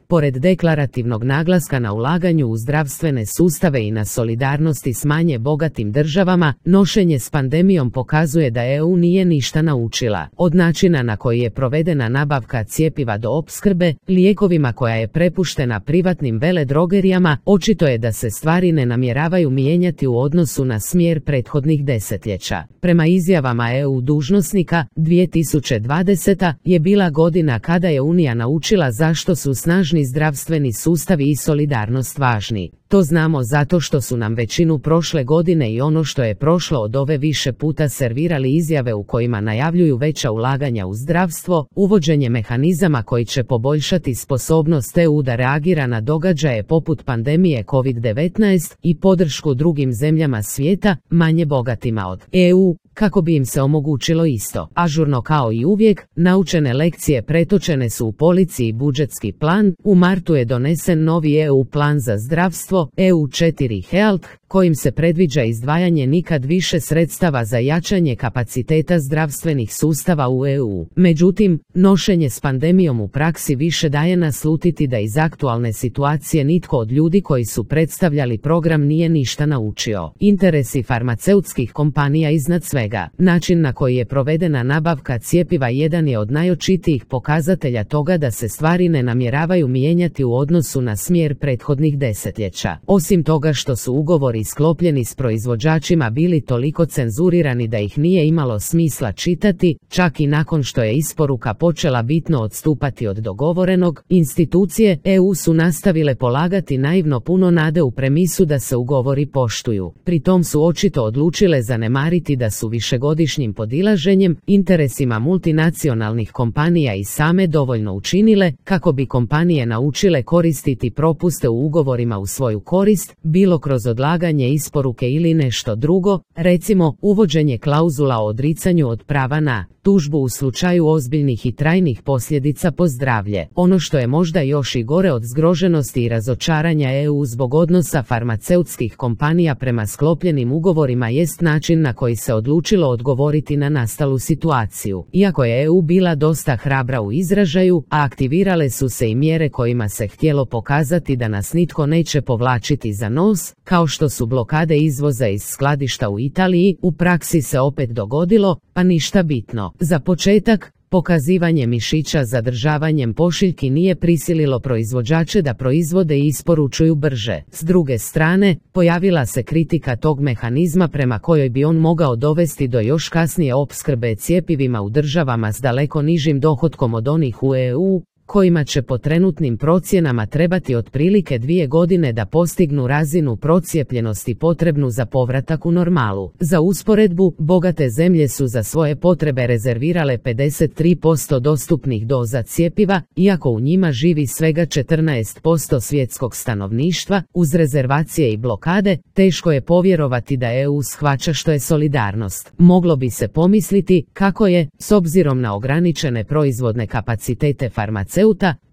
Pored deklarativnog naglaska na ulaganju u zdravstvene sustave i na solidarnosti s manje bogatim državama, nošenje s pandemijom pokazuje da EU nije ništa naučila. Od načina na koji je provedena nabavka cjepiva do opskrbe lijekovima koja je prepuštena privatnim veledrogerijama, očito je da se stvari ne namjeravaju mijenjati u odnosu na smjer prethodnih desetljeća. Prema izjavama EU dužnosnika, 2020. je bila godina kada je Unija naučila zašto su snažni zdravstveni sustavi i solidarnost važni. To znamo zato što su nam većinu prošle godine i ono što je prošlo od ove više puta servirali izjave u kojima najavljuju veća ulaganja u zdravstvo, uvođenje mehanizama koji će poboljšati sposobnost EU da reagira na događaje poput pandemije COVID-19 i podršku drugim zemljama svijeta, manje bogatima od EU, kako bi im se omogućilo isto. Ažurno kao i uvijek, naučene lekcije pretočene su u polici i budžetski plan. U martu je donesen novi EU plan za zdravstvo, EU4 Health, kojim se predviđa izdvajanje nikad više sredstava za jačanje kapaciteta zdravstvenih sustava u EU. Međutim, nošenje s pandemijom u praksi više daje naslutiti da iz aktualne situacije nitko od ljudi koji su predstavljali program nije ništa naučio. Interesi farmaceutskih kompanija iznad svega. Način na koji je provedena nabavka cjepiva jedan je od najočitijih pokazatelja toga da se stvari ne namjeravaju mijenjati u odnosu na smjer prethodnih desetljeća. Osim toga što su ugovori sklopljeni s proizvođačima bili toliko cenzurirani da ih nije imalo smisla čitati, čak i nakon što je isporuka počela bitno odstupati od dogovorenog, institucije EU su nastavile polagati naivno puno nade u premisu da se ugovori poštuju. Pri tom su očito odlučile zanemariti da su višegodišnjim podilaženjem interesima multinacionalnih kompanija i same dovoljno učinile kako bi kompanije naučile koristiti propuste u ugovorima u svoju korist, bilo kroz odlaganje isporuke ili nešto drugo, recimo uvođenje klauzula o odricanju od prava na tužbu u slučaju ozbiljnih i trajnih posljedica po zdravlje. Ono što je možda još i gore od zgroženosti i razočaranja EU zbog odnosa farmaceutskih kompanija prema sklopljenim ugovorima jest način na koji se odlučilo odgovoriti na nastalu situaciju. Iako je EU bila dosta hrabra u izražaju, a aktivirale su se i mjere kojima se htjelo pokazati da nas nitko neće povlačiti za nos, kao što su blokade izvoza iz skladišta u Italiji, u praksi se opet dogodilo, pa ništa bitno. Za početak, pokazivanje mišića zadržavanjem pošiljki nije prisililo proizvođače da proizvode i isporučuju brže. S druge strane, pojavila se kritika tog mehanizma prema kojoj bi on mogao dovesti do još kasnije opskrbe cjepivima u državama s daleko nižim dohotkom od onih u EU, kojima će po trenutnim procjenama trebati otprilike 2 godine da postignu razinu procijepljenosti potrebnu za povratak u normalu. Za usporedbu, bogate zemlje su za svoje potrebe rezervirale 53% dostupnih doza cjepiva, iako u njima živi svega 14% svjetskog stanovništva. Uz rezervacije i blokade, teško je povjerovati da EU shvaća što je solidarnost. Moglo bi se pomisliti kako je, s obzirom na ograničene proizvodne kapacitete farmaceuta,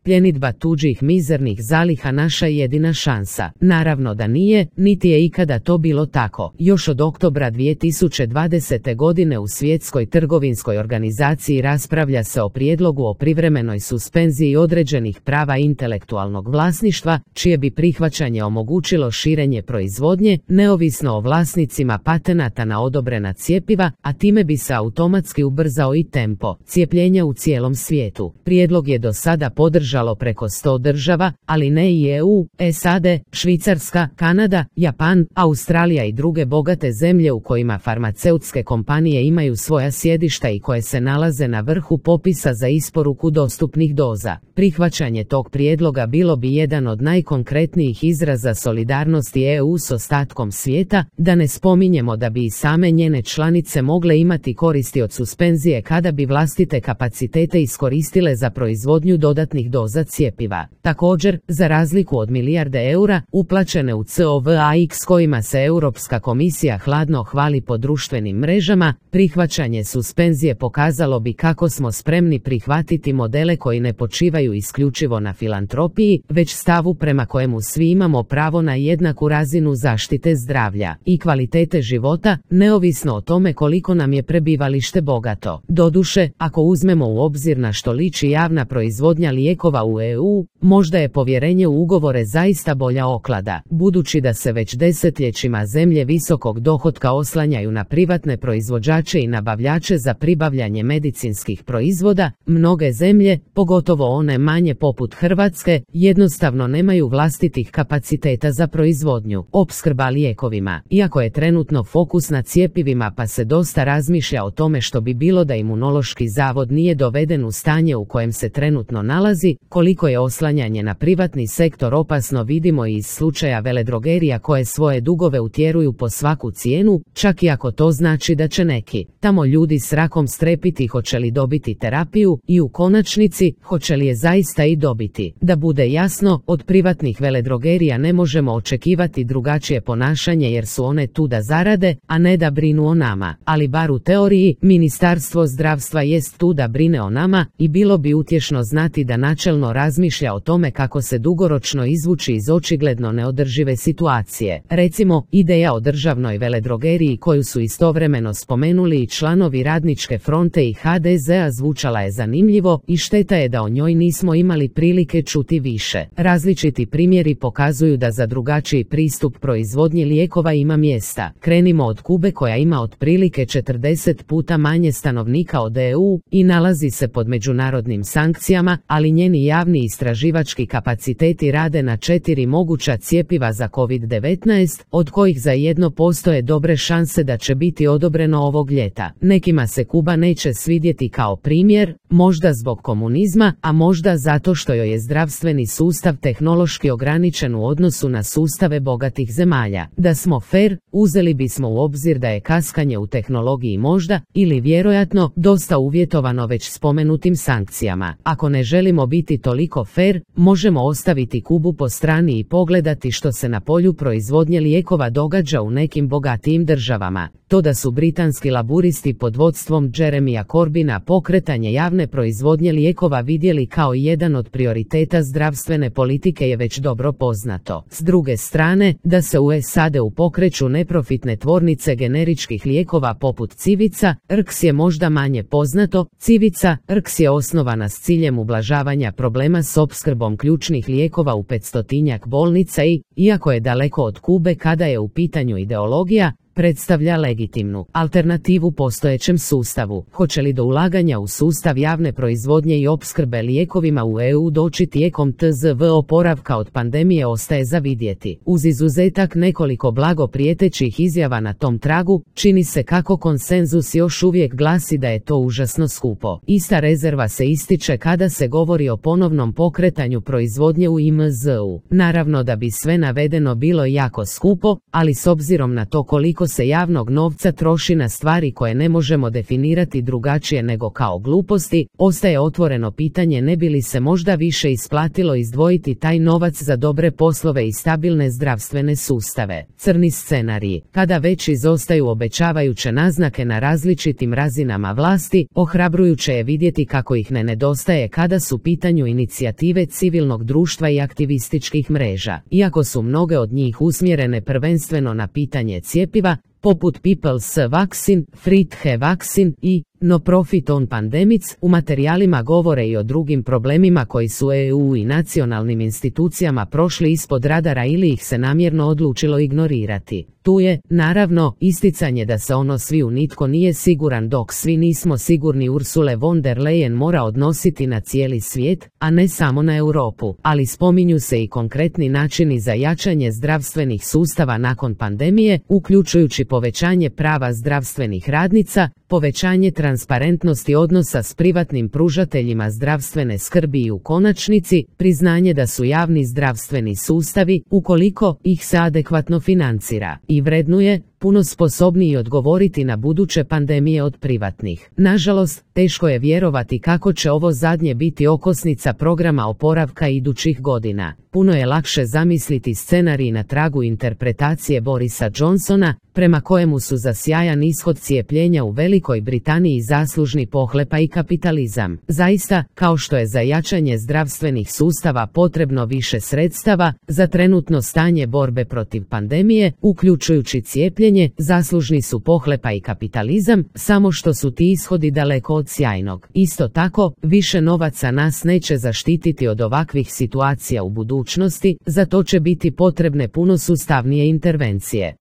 pljenidba tuđih mizernih zaliha naša jedina šansa. Naravno da nije, niti je ikada to bilo tako. Još od oktobra 2020. godine u Svjetskoj trgovinskoj organizaciji raspravlja se o prijedlogu o privremenoj suspenziji određenih prava intelektualnog vlasništva, čije bi prihvaćanje omogućilo širenje proizvodnje, neovisno o vlasnicima patenata na odobrena cjepiva, a time bi se automatski ubrzao i tempo cijepljenja u cijelom svijetu. Prijedlog je do sada podržao preko 100 država, ali ne i EU, SAD, Švicarska, Kanada, Japan, Australija i druge bogate zemlje u kojima farmaceutske kompanije imaju svoja sjedišta i koje se nalaze na vrhu popisa za isporuku dostupnih doza. Prihvaćanje tog prijedloga bilo bi jedan od najkonkretnijih izraza solidarnosti EU s ostatkom svijeta, da ne spominjemo da bi i same njene članice mogle imati koristi od suspenzije kada bi vlastite kapacitete iskoristile za proizvodnju dodatnih doza cjepiva. Također, za razliku od milijarde eura uplaćene u COVAX kojima se Europska komisija hladno hvali po društvenim mrežama, prihvaćanje suspenzije pokazalo bi kako smo spremni prihvatiti modele koji ne počivaju isključivo na filantropiji, već stavu prema kojemu svi imamo pravo na jednaku razinu zaštite zdravlja i kvalitete života, neovisno o tome koliko nam je prebivalište bogato. Doduše, ako uzmemo u obzir na što liči javna proizvodnja lijekova lijekova u EU, možda je povjerenje u ugovore zaista bolja oklada. Budući da se već desetljećima zemlje visokog dohotka oslanjaju na privatne proizvođače i nabavljače za pribavljanje medicinskih proizvoda, mnoge zemlje, pogotovo one manje poput Hrvatske, jednostavno nemaju vlastitih kapaciteta za proizvodnju, opskrba lijekovima. Iako je trenutno fokus na cjepivima pa se dosta razmišlja o tome što bi bilo da Imunološki zavod nije doveden u stanje u kojem se trenutno nalazi, koliko je oslanjanje na privatni sektor opasno vidimo i iz slučaja veledrogerija koje svoje dugove utjeruju po svaku cijenu, čak i ako to znači da će neki tamo ljudi s rakom strepiti hoće li dobiti terapiju i u konačnici hoće li je zaista i dobiti. Da bude jasno, od privatnih veledrogerija ne možemo očekivati drugačije ponašanje jer su one tu da zarade, a ne da brinu o nama. Ali bar u teoriji, Ministarstvo zdravstva jest tu da brine o nama i bilo bi utješno znati da načelno razmišlja o tome kako se dugoročno izvući iz očigledno neodržive situacije. Recimo, ideja o državnoj veledrogeriji koju su istovremeno spomenuli i članovi Radničke fronte i HDZ-a zvučala je zanimljivo i šteta je da o njoj nismo imali prilike čuti više. Različiti primjeri pokazuju da za drugačiji pristup proizvodnji lijekova ima mjesta. Krenimo od Kube koja ima otprilike 40 puta manje stanovnika od EU i nalazi se pod međunarodnim sankcijama, ali njeni javni istraživački kapaciteti rade na 4 moguća cjepiva za COVID-19, od kojih za jedno postoje dobre šanse da će biti odobreno ovog ljeta. Nekima se Kuba neće svidjeti kao primjer, možda zbog komunizma, a možda zato što joj je zdravstveni sustav tehnološki ograničen u odnosu na sustave bogatih zemalja. Da smo fer, uzeli bismo u obzir da je kaskanje u tehnologiji možda, ili vjerojatno, dosta uvjetovano već spomenutim sankcijama. Ako ne želimo biti toliko fer, možemo ostaviti Kubu po strani i pogledati što se na polju proizvodnje lijekova događa u nekim bogatijim državama. To da su britanski laburisti pod vodstvom Jeremya Corbyna pokretanje javne proizvodnje lijekova vidjeli kao jedan od prioriteta zdravstvene politike je već dobro poznato. S druge strane, da se u SAD-u pokreću neprofitne tvornice generičkih lijekova poput Civica, Rx je možda manje poznato. Civica, Rx je osnovana s ciljem ublažavanja problema s opskrbom ključnih lijekova u 500-tinjak bolnica i, iako je daleko od Kube kada je u pitanju ideologija, predstavlja legitimnu alternativu postojećem sustavu. Hoće li do ulaganja u sustav javne proizvodnje i opskrbe lijekovima u EU doći tijekom tzv. Oporavka od pandemije ostaje za vidjeti. Uz izuzetak nekoliko blago prijetećih izjava na tom tragu, čini se kako konsenzus još uvijek glasi da je to užasno skupo. Ista rezerva se ističe kada se govori o ponovnom pokretanju proizvodnje u IMZ-u. Naravno da bi sve navedeno bilo jako skupo, ali s obzirom na to koliko se javnog novca troši na stvari koje ne možemo definirati drugačije nego kao gluposti, ostaje otvoreno pitanje ne bi li se možda više isplatilo izdvojiti taj novac za dobre poslove i stabilne zdravstvene sustave. Crni scenariji, kada već izostaju obećavajuće naznake na različitim razinama vlasti, ohrabrujuće je vidjeti kako ih ne nedostaje kada su pitanju inicijative civilnog društva i aktivističkih mreža. Iako su mnoge od njih usmjerene prvenstveno na pitanje cjepiva, poput People's Vaccine, Friedhe Vaccine i No Profit on Pandemics, u materijalima govore i o drugim problemima koji su EU i nacionalnim institucijama prošli ispod radara ili ih se namjerno odlučilo ignorirati. Tu je, naravno, isticanje da se ono svi u nitko nije siguran dok svi nismo sigurni Ursule von der Leyen mora odnositi na cijeli svijet, a ne samo na Europu, ali spominju se i konkretni načini za jačanje zdravstvenih sustava nakon pandemije, uključujući povećanje prava zdravstvenih radnica, povećanje transparentnosti odnosa s privatnim pružateljima zdravstvene skrbi i u konačnici, priznanje da su javni zdravstveni sustavi, ukoliko ih se adekvatno financira i vrednuje, puno sposobniji odgovoriti na buduće pandemije od privatnih. Nažalost, teško je vjerovati kako će ovo zadnje biti okosnica programa oporavka idućih godina. Puno je lakše zamisliti scenarij na tragu interpretacije Borisa Johnsona, prema kojemu su za sjajan ishod cijepljenja u Velikoj Britaniji zaslužni pohlepa i kapitalizam. Zaista, kao što je za jačanje zdravstvenih sustava potrebno više sredstava, za trenutno stanje borbe protiv pandemije, uključujući cijepljenje, mišljenje, zaslužni su pohlepa i kapitalizam, samo što su ti ishodi daleko od sjajnog. Isto tako, više novaca nas neće zaštititi od ovakvih situacija u budućnosti, za to će biti potrebne puno sustavnije intervencije.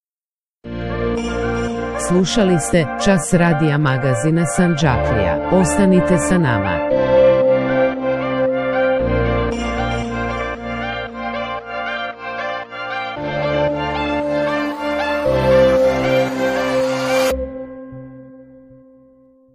Slušali ste Čas radija magazina Sandžaklija. Ostanite sa nama.